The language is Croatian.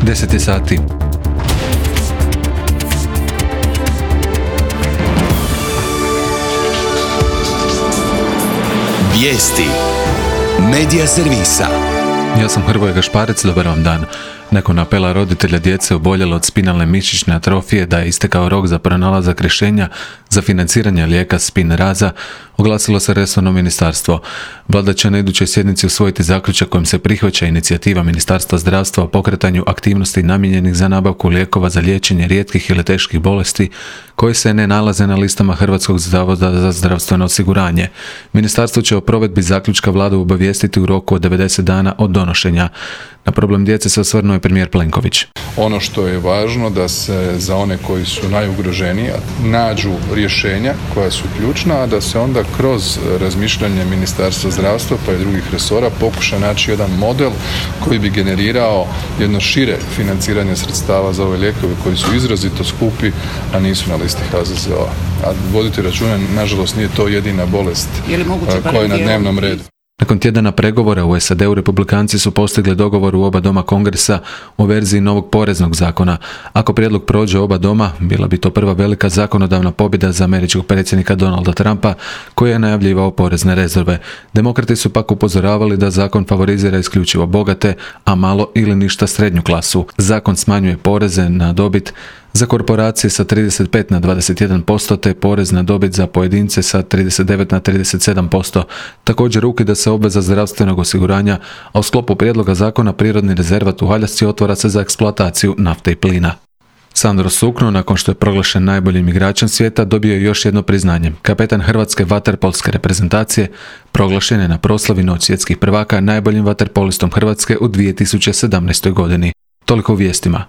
10 je sati. Vijesti Medija servisa. Ja sam Hrvoje Gašparec, dobar vam dan. Nakon apela roditelja djece oboljele od spinalne mišićne atrofije da je istekao rok za pronalazak rješenja za financiranje lijeka Spinraza, oglasilo se resorno ministarstvo. Vlada će na idućoj sjednici usvojiti zaključak kojim se prihvaća inicijativa Ministarstva zdravstva o pokretanju aktivnosti namijenjenih za nabavku lijekova za liječenje rijetkih ili teških bolesti koji se ne nalaze na listama Hrvatskog zavoda za zdravstveno osiguranje. Ministarstvo će o provedbi zaključka Vladu obavijestiti u roku od 90 dana od donošenja. Na problem djece se osvrnuo je premijer Plenković. Ono što je važno da se za one koji su najugroženiji nađu rješenja koja su ključna, a da se onda kroz razmišljanje Ministarstva zdravstva pa i drugih resora pokuša naći jedan model koji bi generirao jedno šire financiranje sredstava za ove lijekove koji su izrazito skupi, a nisu na listi HZZO-a. A vodite računa, nažalost nije to jedina bolest koja je na dnevnom redu. Nakon tjedana pregovora u SAD-u republikanci su postigli dogovor u oba doma Kongresa o verziji novog poreznog zakona. Ako prijedlog prođe oba doma, bila bi to prva velika zakonodavna pobjeda za američkog predsjednika Donalda Trumpa, koji je najavljivao porezne rezerve. Demokrati su pak upozoravali da zakon favorizira isključivo bogate, a malo ili ništa srednju klasu. Zakon smanjuje poreze na dobit za korporacije sa 35 na 21%, te porez na dobit za pojedince sa 39 na 37%. Također ukida se obveza zdravstvenog osiguranja, a u sklopu prijedloga zakona prirodni rezervat u Aljasci otvara se za eksploataciju nafte i plina. Sandro Sukno, nakon što je proglašen najboljim igračem svijeta, dobio je još jedno priznanje. Kapetan hrvatske vaterpolske reprezentacije proglašen je na proslavi Noć svjetskih prvaka najboljim vaterpolistom Hrvatske u 2017. godini. Toliko u vijestima.